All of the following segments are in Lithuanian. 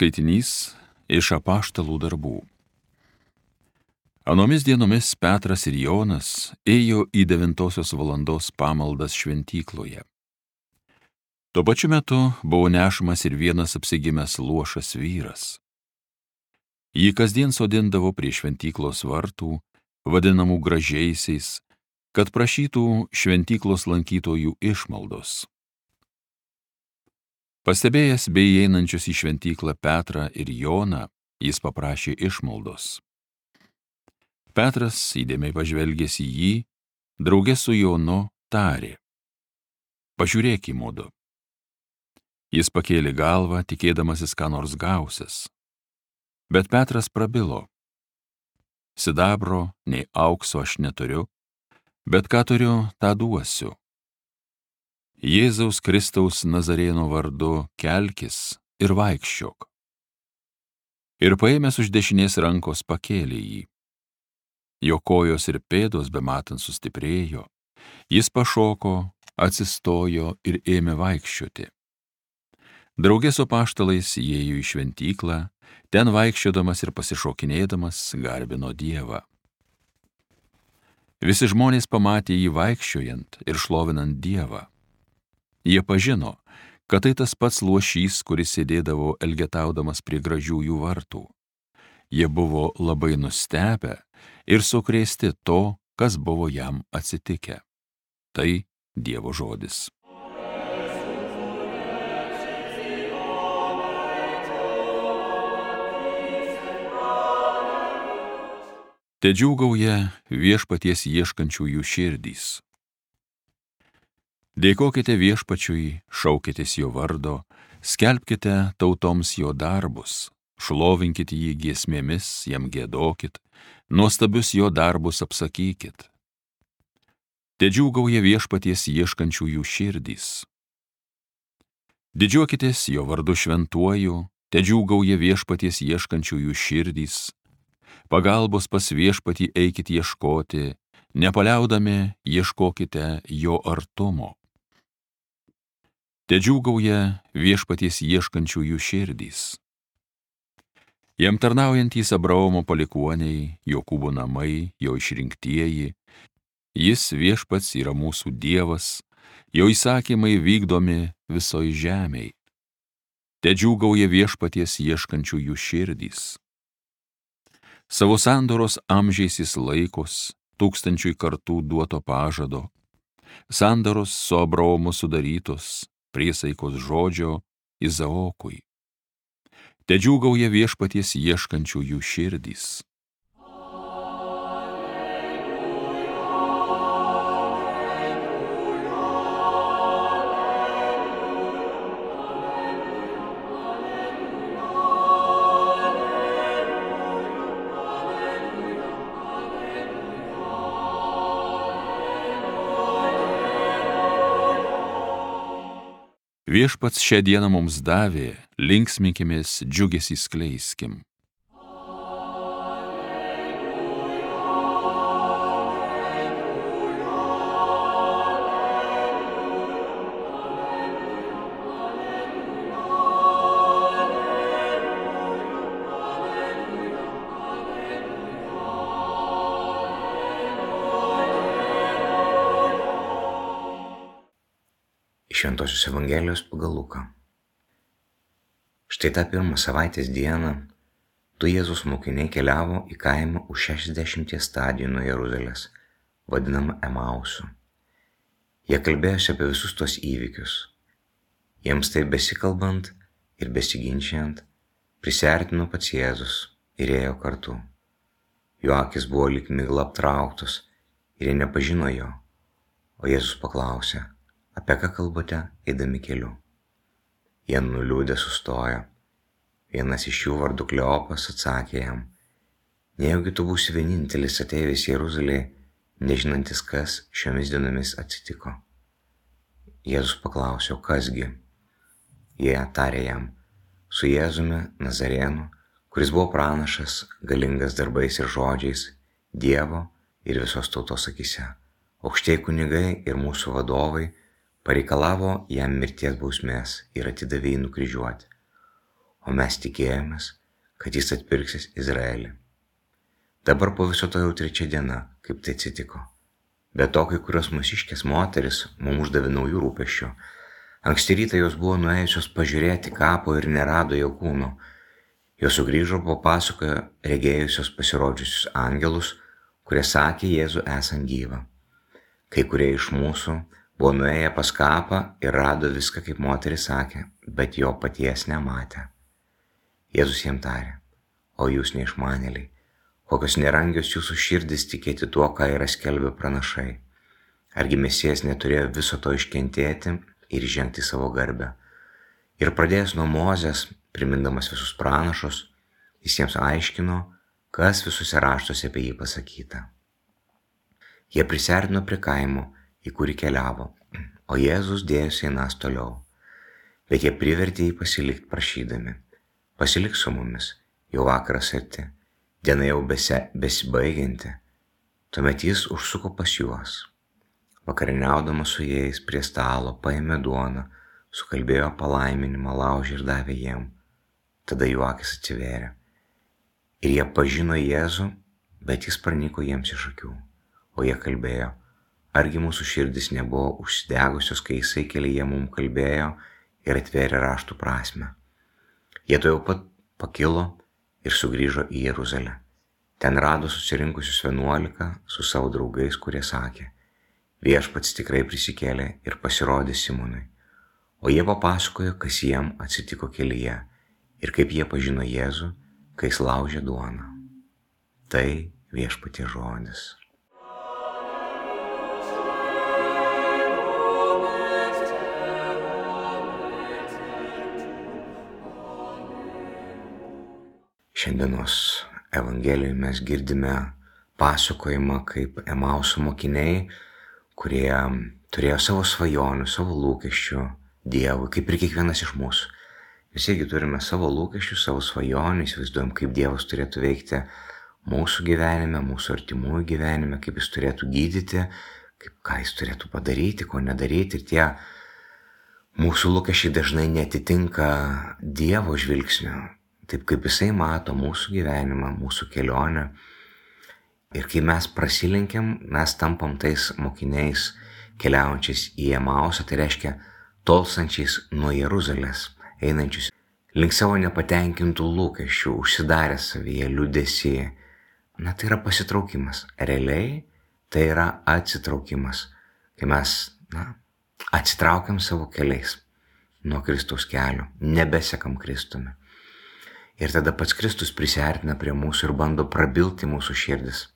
Skaitinys iš Apaštalų darbų. Anomis dienomis Petras ir Jonas ėjo į 9 valandos pamaldas šventykloje. Tuo pačiu metu buvo nešamas ir vienas apsigimęs luošas vyras. Jį kasdien sodindavo prie šventyklos vartų, vadinamų gražiaisiais, kad prašytų šventyklos lankytojų išmaldos. Pastebėjęs bei įeinančius į šventyklą Petrą ir Joną, jis paprašė išmaldos. Petras, įdėmiai pažvelgęs į jį, drauge su Jonu tarė: "Pažiūrėk į mudu." Jis pakėlė galvą, tikėdamasis ką nors gausis. Bet Petras prabilo: "Sidabro, nei aukso aš neturiu, bet ką turiu, tą duosiu. Jėzaus Kristaus Nazarėno vardu kelkis ir vaikščiok." Ir paėmęs už dešinės rankos pakėlė jį. Jo kojos ir pėdos bematant sustiprėjo, jis pašoko, atsistojo ir ėmė vaikščioti. Drauge su apaštalais įėjo į šventyklą, ten vaikščiodamas ir pasišokinėdamas garbino Dievą. Visi žmonės pamatė jį vaikščiojant ir šlovinant Dievą. Jie pažino, kad tai tas pats luošys, kuris sėdėdavo elgetaudamas prie gražiųjų vartų. Jie buvo labai nustebę ir sukrėsti to, kas buvo jam atsitikę. Tai Dievo žodis. Tedžiūgauja viešpaties ieškančiųjų širdys. Dėkokite viešpačiui, šaukitės jo vardo, skelbkite tautoms jo darbus, šlovinkite jį giesmėmis, jam giedokit, nuostabius jo darbus apsakykit. Tedžiūgauja viešpaties ieškančiųjų širdys. Didžiuokitės jo vardu šventuoju, tedžiūgauja viešpaties ieškančiųjų širdys. Pagalbos pas viešpatį eikit ieškoti, nepaliaudami ieškokite jo artumo. Tedžiūgauja viešpaties ieškančiųjų širdys. Jam tarnaujantys Abraomo palikuoniai, Jokūbo namai, jo išrinktieji, jis viešpats yra mūsų Dievas, jo įsakymai vykdomi visoj žemėj. Tedžiūgauja viešpaties ieškančiųjų širdys. Savo sandoros amžiais jis laikos, 1000 kartų duoto pažado, sandoros su Abraomu sudarytos, priesaikos žodžio Izaokui. Tedžiūgauja viešpaties ieškančiųjų širdys. Viešpats šią dieną mums davė, linksminkimės, džiugesį skleiskim. Šventosios Evangelijos pagal Luką. Štai tą pirmą savaitės dieną du Jėzaus mokiniai keliavo į kaimą už 60 stadijų nuo Jeruzalės, vadinamą Emausu. Jie kalbėjosi apie visus tos įvykius. Jiems taip besikalbant ir besiginčiant, prisiartino pats Jėzus ir ėjo kartu. Jo akis buvo lyg migla aptrauktos ir jie nepažino jo, o Jėzus paklausė: "Apie ką kalbate, eidami keliu?" Jie nuliūdę sustojo. Vienas iš jų vardu Kleopas atsakė jam: "Nejaugi tu būsi vienintelis ateivis Jeruzalėje, nežinantis, kas šiomis dienomis atsitiko?" Jėzus paklausė: "O kasgi?" Jie tarė jam: "Su Jėzumi Nazarėnu, kuris buvo pranašas, galingas darbais ir žodžiais, Dievo ir visos tautos akyse. Aukštieji kunigai ir mūsų vadovai pareikalavo jam mirties bausmės ir atidavė jį nukryžiuoti. o mes tikėjomės, kad jis atpirksis Izraelį. Dabar po viso to jau 3 diena, kaip tai atsitiko. Be to, kai kurios mūsiškės moteris mums uždavė naujų rūpesčių. Anksti rytą jos buvo nuėjusios pažiūrėti kapo ir nerado jo kūno. Jos sugrįžo po pasakojo regėjusios pasirodžiusius angelus, kurie sakė Jėzų esant gyvą. Kai kurie iš mūsų buvo nuėję pas kapą ir rado viską, kaip moteris sakė, bet jo paties nematė. Jėzus jiem tarė: o jūs neišmanėliai, kokios nerangios jūsų širdis tikėti tuo, ką yra skelbę pranašai. Argi Mesijas neturėjo viso to iškentėti ir žengti savo garbę. Ir pradėjęs nuo Mozės, primindamas visus pranašus, jis jiems aiškino, kas visuose raštuose apie jį pasakyta. Jie prisiartino prie kaimo, į kurį keliavo, o Jėzus dėjosi einąs toliau. Bet jie privertė jį pasilikti prašydami: pasilik su mumis, jau vakaras arti, diena jau besibaigianti. Tuomet jis užsuko pas juos. Vakarieniaudamas su jais prie stalo paėmė duoną, sukalbėjo palaiminimą, laužė ir davė jiem. Tada jų akys atsivėrė. Ir jie pažino Jėzų, bet jis pranyko jiems iš akių. O jie kalbėjo: argi mūsų širdis nebuvo užsidegusios, kai jisai kelyje mums kalbėjo ir atvėrė raštų prasmę. Jie tuojau pat pakilo ir sugrįžo į Jeruzalę. Ten rado susirinkusius 11 su savo draugais, kurie sakė: viešpats tikrai prisikėlė ir pasirodė Simonui. O jie papasakojo, kas jiem atsitiko kelyje ir kaip jie pažino Jėzų, kai jis laužė duoną. Tai viešpaties žodis. Šiandienos Evangelijoje mes girdime pasakojimą, kaip Emauso mokiniai, kurie turėjo savo svajonių, savo lūkesčių Dievui, kaip ir kiekvienas iš mūsų. Visi irgi turime savo lūkesčių, savo svajonių, įsivaizduojam, kaip Dievas turėtų veikti mūsų gyvenime, mūsų artimųjų gyvenime, kaip jis turėtų gydyti, ką jis turėtų padaryti, ko nedaryti. Ir tie mūsų lūkesčiai dažnai netitinka Dievo žvilgsnio, taip kaip jisai mato mūsų gyvenimą, mūsų kelionę. Ir kai mes prasilenkiam, mes tampam tais mokiniais keliaujančiais į Emausą, tai reiškia tolstančiais nuo Jeruzalės, einančius link savo nepatenkintų lūkesčių, užsidarę savyje, liūdesį. Tai yra pasitraukimas. Realiai tai yra atsitraukimas, kai mes atsitraukiam savo keliais nuo Kristaus kelio, nebesekam Kristumi. Ir tada pats Kristus prisiartina prie mūsų ir bando prabilti mūsų širdis,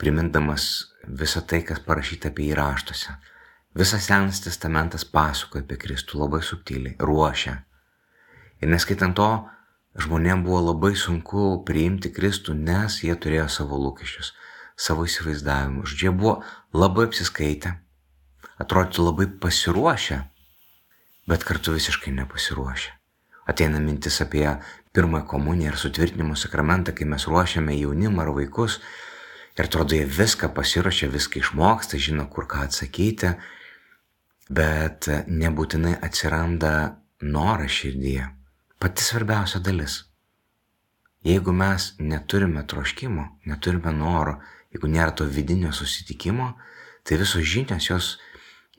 primindamas visą tai, kas parašyta apie jį raštuose. Visas Senas testamentas pasakoja apie Kristų labai subtiliai, ruošia. Ir neskaitant to, žmonėms buvo labai sunku priimti Kristų, nes jie turėjo savo lūkesčius, savo įsivaizdavimus. Jie buvo labai apsiskaitę, atrodytų labai pasiruošę, bet kartu visiškai nepasiruošę. Ateina mintis apie pirmąją komuniją ir sutvirtinimo sakramentą, kai mes ruošiame jaunimą ar vaikus. Ir atrodo, jie viską pasiruošia, viską išmoksta, žino, kur ką atsakyti, bet nebūtinai atsiranda noras širdyje. Pati svarbiausia dalis. Jeigu mes neturime troškimo, neturime noro, jeigu nėra to vidinio susitikimo, tai visos žinios jos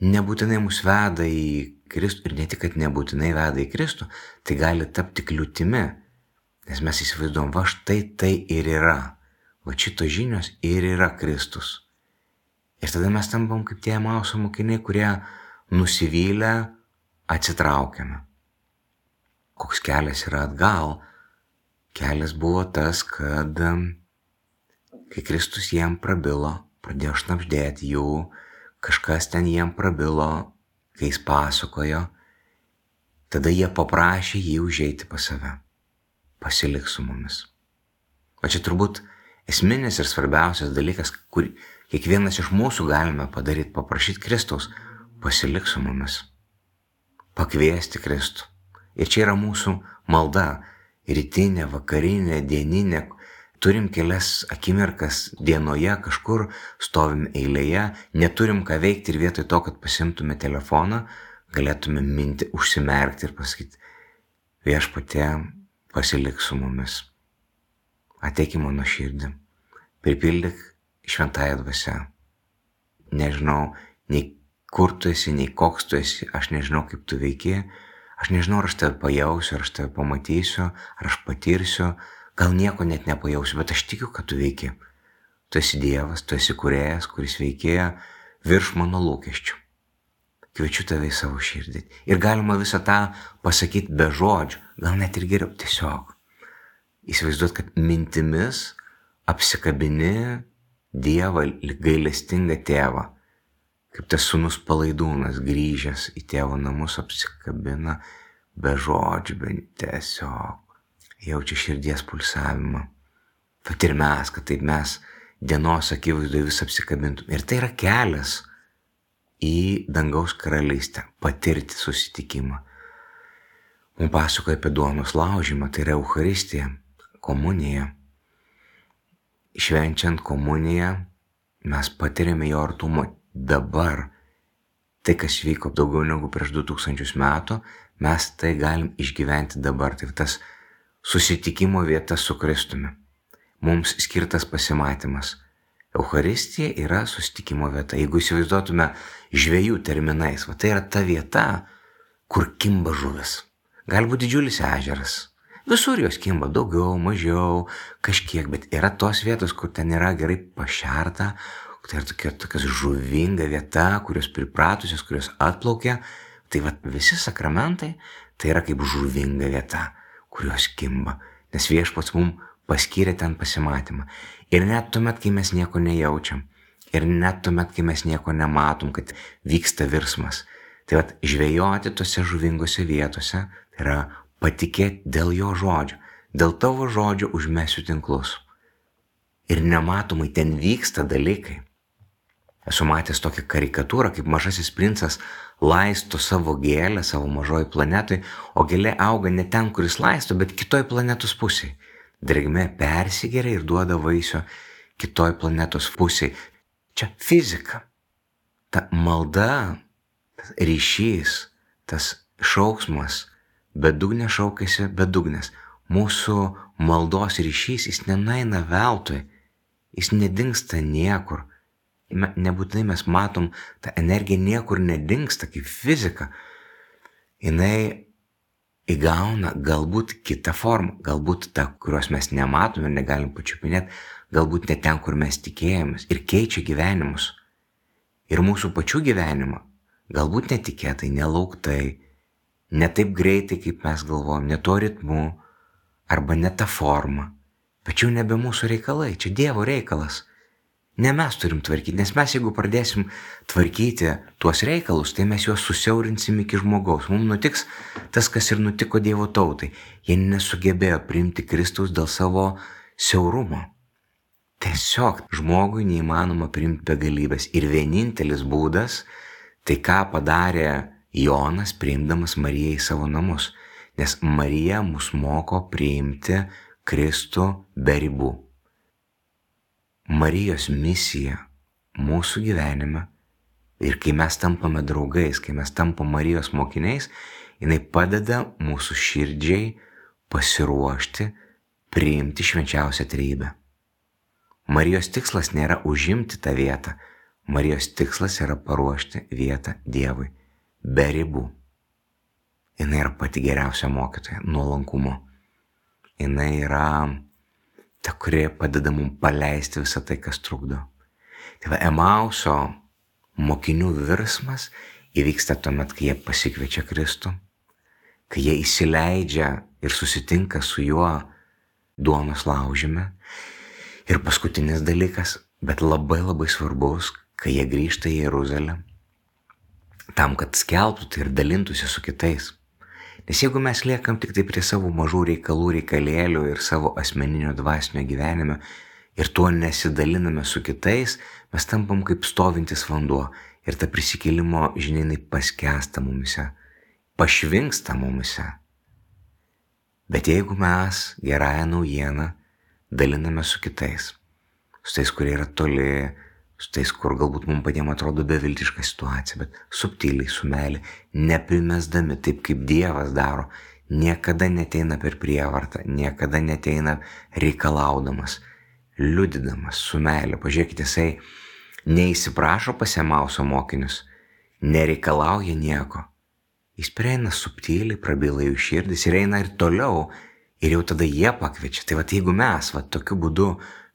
nebūtinai mus veda į Kristų, ir ne tik, kad nebūtinai veda į Kristų, tai gali tapti kliūtimi, nes mes įsivaizduojam, va štai tai ir yra. Va šitos žinios ir yra Kristus. Ir tada mes tampam kaip tie Emauso mokiniai, kurie nusivylę atsitraukiame. Koks kelias yra atgal? Kelias buvo tas, kad kai Kristus jiem prabilo, pradėjo šnabždėti jų, kažkas ten jiem prabilo, kai jis pasakojo, tada jie paprašė jį užeiti pas save. Pasilik su mumis. O čia turbūt esminis ir svarbiausias dalykas, kur kiekvienas iš mūsų galime padaryti, paprašyti Kristaus, pasilik su mumis, pakviesti Kristų. Ir čia yra mūsų malda, rytinė, vakarinė, dieninė. Turim kelias akimirkas dienoje, kažkur stovim eilėje, neturim ką veikti ir vietoj to, kad pasimtume telefoną, galėtume užsimerkti ir pasakyti: viešpatie, pasilik su mumis. Ateik į mano širdį, pripildyk šventąją dvasią. Nežinau, nei kur tu esi, nei koks tu esi, aš nežinau, kaip tu veiki, aš nežinau, ar aš tave pajausiu, ar aš tave pamatysiu, ar aš patirsiu, gal nieko net nepajausiu, bet aš tikiu, kad tu veiki. Tu esi Dievas, tu esi kūrėjas, kuris veikėja virš mano lūkesčių. Kviečiu tave į savo širdį. Ir galima visą tą pasakyti be žodžių, gal net ir geriau, tiesiog. Įsivaizduot, kad mintimis apsikabini Dievą, gailestingą tėvą. Kaip tas sūnus Palaidūnas grįžęs į tėvo namus apsikabina be žodžių, bet tiesiog jaučia širdies pulsavimą. Tad ir mes, kad taip mes dienos akivaizdoje vis apsikabintum. Ir tai yra kelias į dangaus karalystę, patirti susitikimą. Mums pasakoja apie duonos laužymą, tai yra Eucharistija, komunija. Švenčiant komuniją mes patiriame jo artumą dabar. Tai, kas vyko daugiau negu prieš 2000 metų, mes tai galim išgyventi dabar. Tai tas susitikimo vieta su Kristumi. Mums skirtas pasimatymas. Eucharistija yra susitikimo vieta. Jeigu įsivaizduotume žvejų terminais, tai yra ta vieta, kur kimba žuvis. Galbūt didžiulis ežeras. Visur jos kimba daugiau, mažiau, kažkiek, bet yra tos vietos, kur ten yra gerai pašerta, tai yra tokia žuvinga vieta, kurios pripratusios, kurios atplaukia. Tai visi sakramentai tai yra kaip žuvinga vieta, kurios kimba, nes Viešpats mums paskyrė ten pasimatymą. Ir net tuomet, kai mes nieko nejaučiam, ir net tuomet, kai mes nieko nematom, kad vyksta virsmas. Tai žvejoti tose žuvingose vietose, tai yra patikėti dėl jo žodžio, dėl tavo žodžio užmesiu tinklus. Ir nematomai ten vyksta dalykai. Esu matęs tokią karikatūrą, kaip mažasis princas laisto savo gėlę savo mažoj planetoj, o gėlė auga ne ten, kuris laisto, bet kitoj planetos pusėj. Drėgmė persigeria ir duoda vaisių kitoj planetos pusėj. Čia fizika. Ta malda, tas ryšys, tas šauksmas, bedugnė šaukėsi bedugnės. Mūsų maldos ryšys, jis nenueina veltui, jis nedingsta niekur. Nebūtinai mes matom, ta energija niekur nedingsta kaip fizika. Jinai įgauna galbūt kitą formą, galbūt tą, kurios mes nematom ir negalim pačiupinėti, galbūt ne ten, kur mes tikėjomės, ir keičia gyvenimus. Ir mūsų pačių gyvenimą, galbūt netikėtai, nelauktai, ne taip greitai, kaip mes galvojam, ne tuo ritmu, arba ne tą formą. Bet jau nebe mūsų reikalai, čia Dievo reikalas. Ne mes turim tvarkyti, nes mes jeigu pradėsim tvarkyti tuos reikalus, tai mes juos susiaurinsim iki žmogaus. Mums nutiks tas, kas ir nutiko Dievo tautai. Jie nesugebėjo priimti Kristaus dėl savo siaurumo. Tiesiog žmogui neįmanoma priimti begalybės. Ir vienintelis būdas, tai ką padarė Jonas, priimdamas Mariją į savo namus. Nes Marija mus moko priimti Kristų be ribų. Marijos misija mūsų gyvenime, ir kai mes tampame draugais, kai mes tampame Marijos mokiniais, jinai padeda mūsų širdžiai pasiruošti priimti švenčiausią trejybę. Marijos tikslas nėra užimti tą vietą, Marijos tikslas yra paruošti vietą Dievui be ribų. Jinai yra pati geriausia mokytoja, nuolankumo. Jinai yra ta, kuri padeda mums paleisti visą tai, kas trukdo. Tai Emauso mokinių virsmas įvyksta tuomet, kai jie pasikviečia Kristų, kai jie įsileidžia ir susitinka su juo duonos laužyme. Ir paskutinis dalykas, bet labai labai svarbus, kai jie grįžta į Jeruzalę, tam, kad skelbtų tai ir dalintųsi su kitais. Nes jeigu mes liekam tik tai prie savo mažų reikalų, reikalėlių ir savo asmeninio dvasinio gyvenime ir tuo nesidaliname su kitais, mes tampam kaip stovintis vanduo ir ta prisikėlimo žinia paskęsta mumise, pašvinksta mumise. Bet jeigu mes gerąją naujieną daliname su kitais, su tais, kurie yra toli, su tais, kur galbūt mums patiem atrodo beviltiška situacija, bet subtiliai, su meile, neprimesdami taip, kaip Dievas daro, niekada neteina per prievartą, niekada neteina reikalaudamas, liudydamas su meile. Pažiūrėkite, jisai neįsiprašo pas Emauso mokinius, nereikalauja nieko. Jis prieina subtiliai, prabyla jų širdis ir eina ir toliau, ir jau tada jie pakviečia. Tai jeigu mes tokiu būdu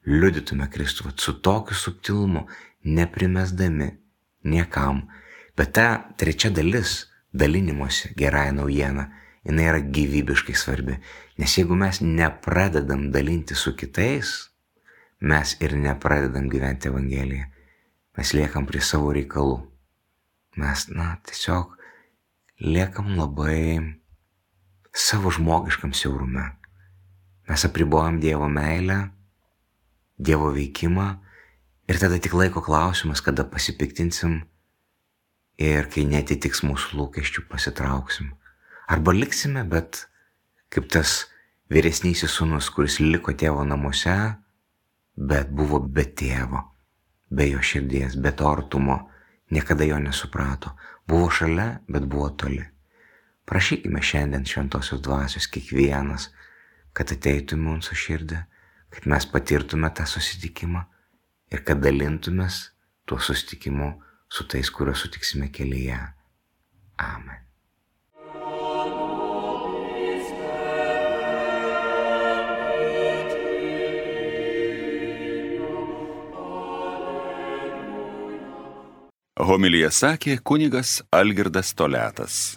liudytume Kristų, su tokiu subtilumu, neprimesdami niekam, bet ta trečia dalis dalinimuose gerąją naujieną, jinai yra gyvybiškai svarbi. Nes jeigu mes nepradedam dalinti su kitais, mes ir nepradedam gyventi Evangeliją. Mes liekam prie savo reikalų. Mes, tiesiog liekam labai savo žmogiškam siaurume. Mes apribojam Dievo meilę, Dievo veikimą ir tada tik laiko klausimas, kada pasipiktinsim ir kai netitiks mūsų lūkesčių, pasitrauksim. Arba liksime, bet kaip tas vyresnysis sūnus, kuris liko tėvo namuose, bet buvo be tėvo, be jo širdies, be to artumo, niekada jo nesuprato. Buvo šalia, bet buvo toli. Prašykime šiandien šventosios dvasios kiekvienas, kad ateitų į mūsų širdį, kad mes patirtume tą susitikimą ir kad dalintumės tuo susitikimu su tais, kuriuos sutiksime kelyje. Amen. Homiliją sakė kunigas Algirdas Toliatas.